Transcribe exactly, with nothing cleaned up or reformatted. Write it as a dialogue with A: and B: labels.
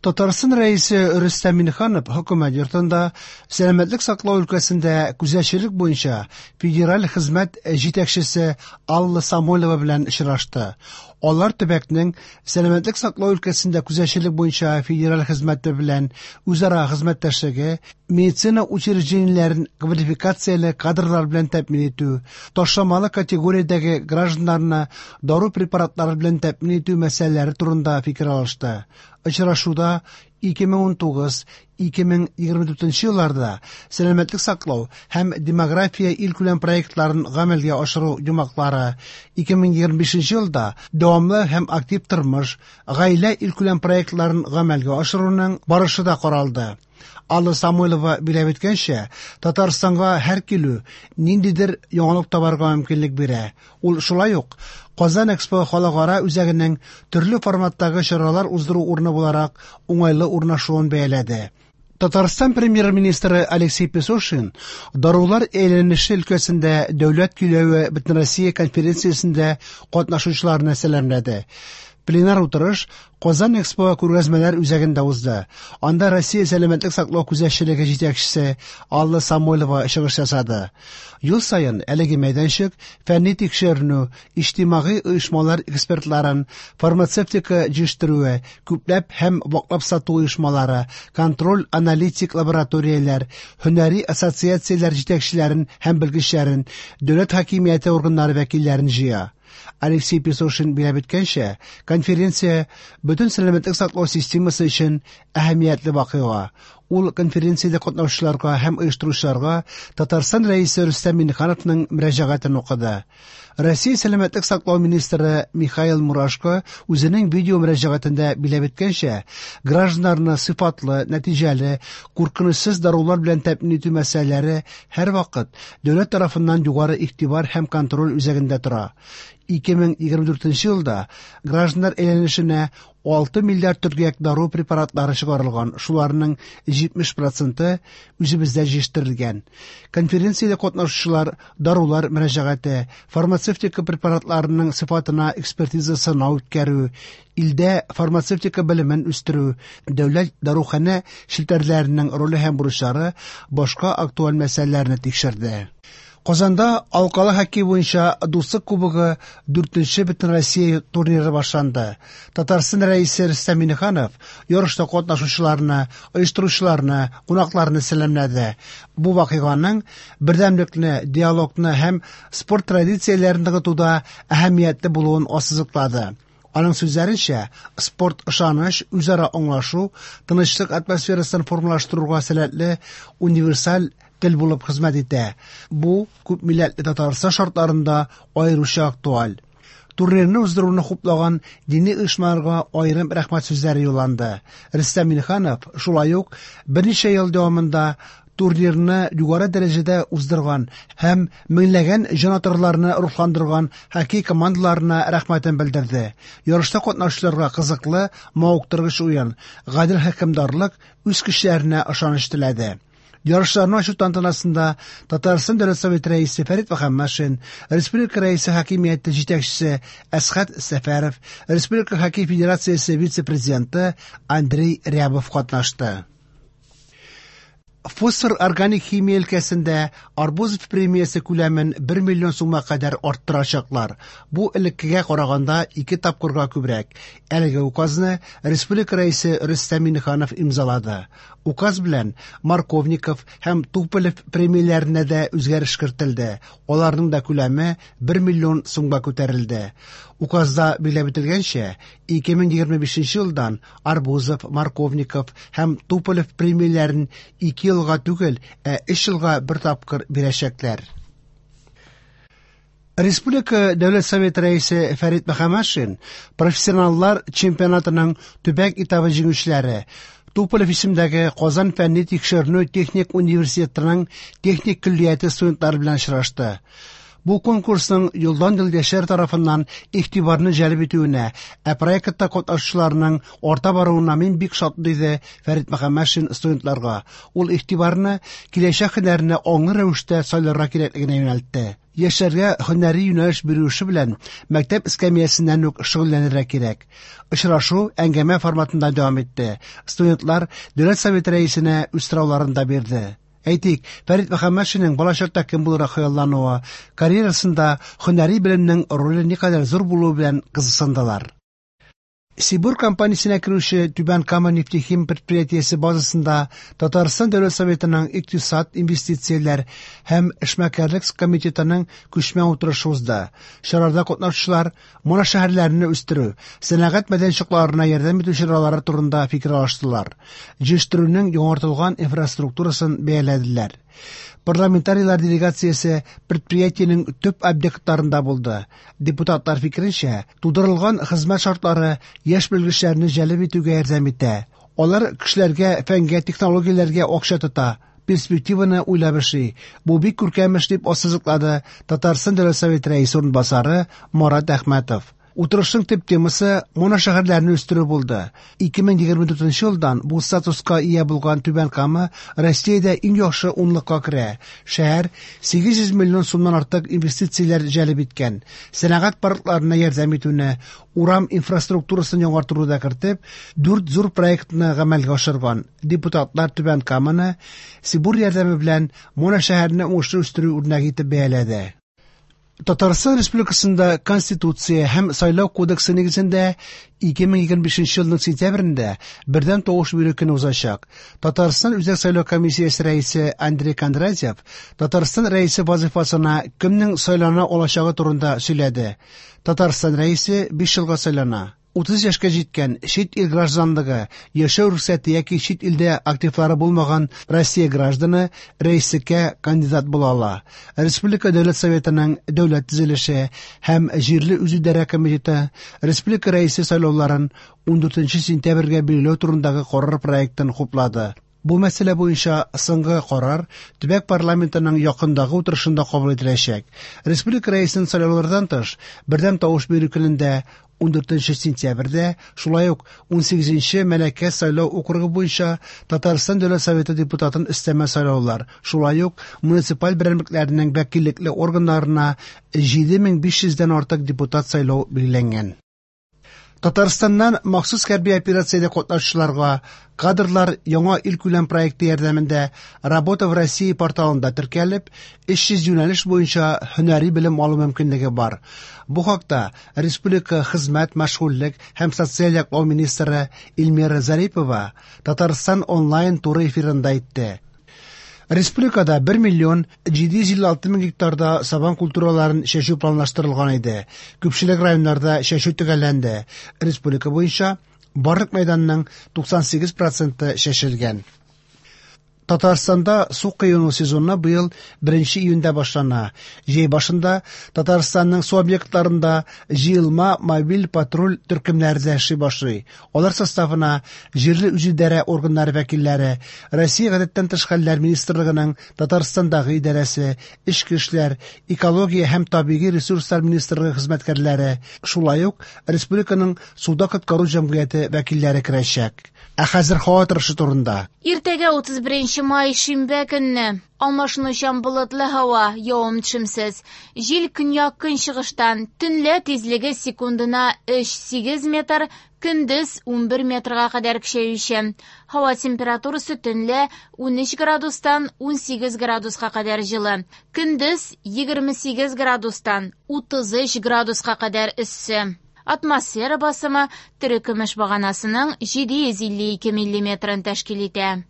A: Татарстан Рәисе Рөстәм Миңнеханов Хөкүмәт йортында сәламәтлек саклау өлкәсендә күзәтчелек буенча федераль хезмәт җитәкчесе Алла Самойлова белән очрашты. Алар төбәкнең сәламәтлек саклау өлкәсендә күзәтчелек буенча федераль хезмәте белән үзара хезмәттәшлеге, медицина учреждениеләрен квалификацияле кадрлар белән тәэмин итү, ташламалы категориядәге гражданнарны дару препаратлары белән тәэмин итү мәсьәләләре турында фикер алышты. Очрашуда ике мең унтугыз - ике мең егерме дүртенче елларда сәламәтлек саклау һәм демография илкүләм проектларын гамәлгә ашыру йомгаклары, ике мең егерме бишенче елда дәвамлы һәм актив тормыш, гаилә илкүләм проектларын гамәлгә ашыруның барышы да каралды. Алла Самойлова биләп үткәнчә, Татарстанга һәр килү ниндидер яңалык табарга мөмкинлек бирә. Ул шулай ук Казан Экспо халыкара үзәгенең төрле форматтагы чаралар уздыру урыны буларак уңайлы урнашуын бәяләде. Татарстан премьер-министры Алексей Песошин дарулар әйләнеше өлкәсендә дәүләт көйләве Бөтенроссия конференциясендә катнашучыларны сәламләде. Пленар утырыш Казан Экспо күргәзмәләр үзәгендә узды. Анда Россия сәламәтлек саклау күзәтчелеге җитәкчесе Алла Самойлова чыгыш ясады. Ел саен әлеге мәйданчык фәнни тикшеренү, иҗтимагый оешмалар экспертларын, фармацевтика җитештерүе, күпләп һәм ваклап сату оешмалары, контроль-аналитик лабораторияләр, һөнәри ассоциацияләр җитәкчеләрен һәм белгечләрен, дәүләт хакимияте органнары вәкилләрен җыя. Алексей Песошин биләп үткәнчә, конференция бөтен сәламәтлек саклау системасы өчен әһәмиятле вакыйга. Ул конференциядә катнашучыларга һәм оештыручыларга Татарстан Рәисе Рөстәм Миңнехановның мөрәҗәгатен укыды. Россия сәламәтлек саклау министры Михаил Мурашко үзенең видео мөрәҗәгатендә биләп үткәнчә, гражданнарны сыйфатлы, нәтиҗәле, куркынычсыз дарулар белән тәэмин итү мәсьәләләре һәрвакыт дәүләт тарафыннан югары игътибар һәм контроль үзәгендә тора. Ике мең егерме дүртенче елда гражданнар әйләнешенә алты миллиард төргәк дару препаратлары чыгарылган, шуларның җитмеш проценты үзебездә җитештерелгән. Конференциядә катнашучылар дарулар мөрәҗәгате, фармацевтика препаратларының сыйфатына экспертиза сынау үткәрү, илдә фармацевтика белемен үстерү, дәүләт даруханә челтәрләренең роле һәм бурычлары, башка актуаль мәсьәләләрне тикшерде. Казанда алкалы хоккей буенча Дуслык кубогы дүртенче Бөтенроссия турниры башланды. Татарстан Рәисе Рөстәм Миңнеханов ярышта катнашучыларны, оештыручыларны, кунакларны сәламләде. Бу вакыйганың бердәмлекне, диалогны һәм спорт традицияләрен ныгытуда әһәмиятле булуын ассызыклады. Аның сүзләренчә, спорт ышаныч, үзара аңлашу, тынычлык атмосферасын формалаштыруга сәләтле универсаль тел булып хезмәт итә. Бу күп милләтле Татарстан шартларында аеруча актуаль. Турнирны уздыруны хуплаган дини оешмаларга аерым рәхмәт сүзләре юлланды. Рөстәм Миңнеханов шулай ук берничә ел дәвамында турнирны югары дәрәҗәдә уздырган һәм меңләгән җанатарларны рухландырган хоккей командаларына рәхмәтен белдерде. Ярышта катнашучыларга кызыклы, мавыктыргыч уен, гадел хөкемдарлык, үз көчләренә ышаныч теләде. Ярышларны ачу тантанасында Татарстан Дәүләт Советы рәисе Фәрит Мөхәммәтшин, Республика Рәисе хакимияте җитәкчесе Әсхәт Сәфәров, Республика Хоккей Федерациясе вице-президенты Андрей Рябов катнашты. Фосфор органик химия өлкәсендә Арбузов премиясе күләмен бер миллион сумга кадәр арттырачаклар. Бу элеккегә караганда ике тапкырга күбрәк. Әлеге указны Республика Рәисе Рөстәм Миңнеханов имзалады. Указ белән Марковников һәм Туполев премияләренә дә үзгәреш кертелде. Аларның да күләме бер миллион сумга күтәрелде. Указда билгеләп үтелгәнчә, ике мең егерме бишенче елдан Арбузов, Марковников һәм Туполев премияләрен ике елга түгел, ә өч елга бер тапкыр бирәчәкләр. Республика Дәүләт Советы рәисе Фәрит Мөхәммәтшин профессионаллар чемпионатының төбәк этабы җиңүчеләре Туполев исемдәге Казан фәнни тикшеренү техник университетының техник көллияте студентлары белән очрашты. Бу конкурсның елдан-ел яшьләр тарафыннан игътибарны җәлеп итүенә, ә проектта катнашучыларның арта баруына мин бик шат, диде Фәрит Мөхәммәтшин студентларга. Ул игътибарны киләчәк һөнәренә аңлы рәвештә сайларга кирәклегенә юнәлтте. Яшьләргә һөнәри юнәлеш бирү эше белән мәктәп эскәмиясеннән үк шөгыльләнергә кирәк. Очрашу әңгәмә форматында дәвам итте. Студентлар Дәүләт Советы Рәисенә үз сорауларын да бирде. Әйтик, Фәрит Мөхәммәтшинның балачакта кем булырга хыяллануы, карьерасында һөнәри белемнең роле никадәр зур булуы белән кызыксындылар. Сибур компаниясенә керүче Түбән Кама нефтехим предприятиесе базасында Татарстан Дәүләт Советының Икътисад, инвестицияләр һәм эшмәкәрлек комитетының күчмә утырышы узды. Чарада катнашучылар моношәһәрләрне үстерү, сәнәгать мәйданчыкларына ярдәм итү чаралары турында фикер алыштылар. Җитештерүнең яңартылган инфраструктурасын бәяләделәр. Парламентарийлар делегациясе предприятиенең төп объектларында булды. Депутатлар фикеренчә, тудырылган хезмәт шартлары яшь белгечләрне җәлеп итүгә ярдәм итә. Алар кешеләргә, фәнгә, технологияләргә акча тота, перспективаны уйлап эшли. Бу бик күркәм эш, дип ассызыклады Татарстан Дәүләт Советы Рәисе урынбасары Марат Әхмәтов. Утырышның төп темасы моношәһәрләрне үстерү булды. ике мең егерме дүртенче елдан бу статуска ия булган Түбән Кама Россиядә иң яхшы унлыкка керә. Шәһәр сигез йөз миллион сумнан артык инвестицияләр җәлеп иткән. Сәнәгать паркларына ярдәм итүне, урам инфраструктурасын яңартуны да кертеп, дүрт зур проектны гамәлгә ашырган. Депутатлар Түбән Каманы Сибур ярдәме белән моношәһәрне уңышлы үстерү үрнәге итеп бәяләде. Татарстан Республикасында Конституция һәм Сайлау кодексы нигезендә ике мең егерме бишенче елның сентябрендә бердәм тавыш бирү көне узачак. Татарстан Үзәк сайлау комиссиясе рәисе Андрей Кондратьев Татарстан рәисе вазифасына кемнең сайлана алачагы турында сөйләде. Татарстан рәисе биш елга сайлана. Утыз яшькә җиткән чит ил гражданлыгы, яшәү рөхсәте яки чит илдә активлары булмаган Россия гражданы рәислеккә кандидат була ала. Республика Дәүләт Советының Дәүләт төзелеше һәм җирле үзидарә комитеты республика рәисе сайлауларын ундүртенче сентябрьгә билгеләү турындагы карар проектын хуплады. Бу мәсьәлә буенча соңгы карар төбәк парламентының якындагы утырышында кабул ителәчәк. Республика рәисен сайлаулардан тыш, бердәм тавыш бирү көнендә ундүртенче сентябрьдә, шулай ук унсигезенче Мәләкәс сайлау округы буенча Татарстан Дәүләт Советы депутатын өстәмә сайлаулар, шулай ук муниципаль берәмлекләрнең вәкиллекле органнарына җиде мең биш йөздән артык депутат сайлау билгеләнгән. Татарстаннан махсус хәрби операциядә катнашучыларга кадрлар яңа илкүләм проекты ярдәмендә Работа в России порталында теркәлеп, өч йөз юнәлеш буенча һөнәри белем алу мөмкинлеге бар. Бу хакта Республика хезмәт, мәшгульлек һәм социаль яклау министры Эльмира Зарипова Татарстан онлайн туры эфирында әйтте. Республикада бер миллион җиде йөз илле алты мең гектарда сабан культураларын чәчү планлаштырылган иде. Күпчелек районнарда чәчү төгәлләнде. Республика буенча барлык мәйданның туксан сигез проценты чәчелгән. Татарстанда су коену сезоны быел беренче июньдә башлана. Җәй башында Татарстанның су объектларында җыелма мобиль патруль төркемнәре дә эшли башлый. Алар составына җирле үзидарә органнары вәкилләре, Россия гадәттән тыш хәлләр министрлыгының Татарстандагы идарәсе, эчке эшләр, экология һәм табигый ресурслар министрлыгы хезмәткәрләре, шулай ук республиканың суда коткару җәмгыяте вәкилләре керәчәк. Ә хәзер һава торышы турында.
B: Иртәгә утыз беренче май шимбә көнне алмашынучан болытлы һава, явым-төшемсез. Җил көньяк-көнчыгыштан, төнлә тизлеге секундына өч сигез метр, көндез унбер метрга кадәр көчәюче. Һава температурасы төнлә унөч градустан унсигез градуска кадәр җылы, көндез егерме сигез градустан утыз өч градуска кадәр эссе. Атмосфера басымы терекөмеш баганасының җиде йөз илле ике миллиметрын тәшкил итә.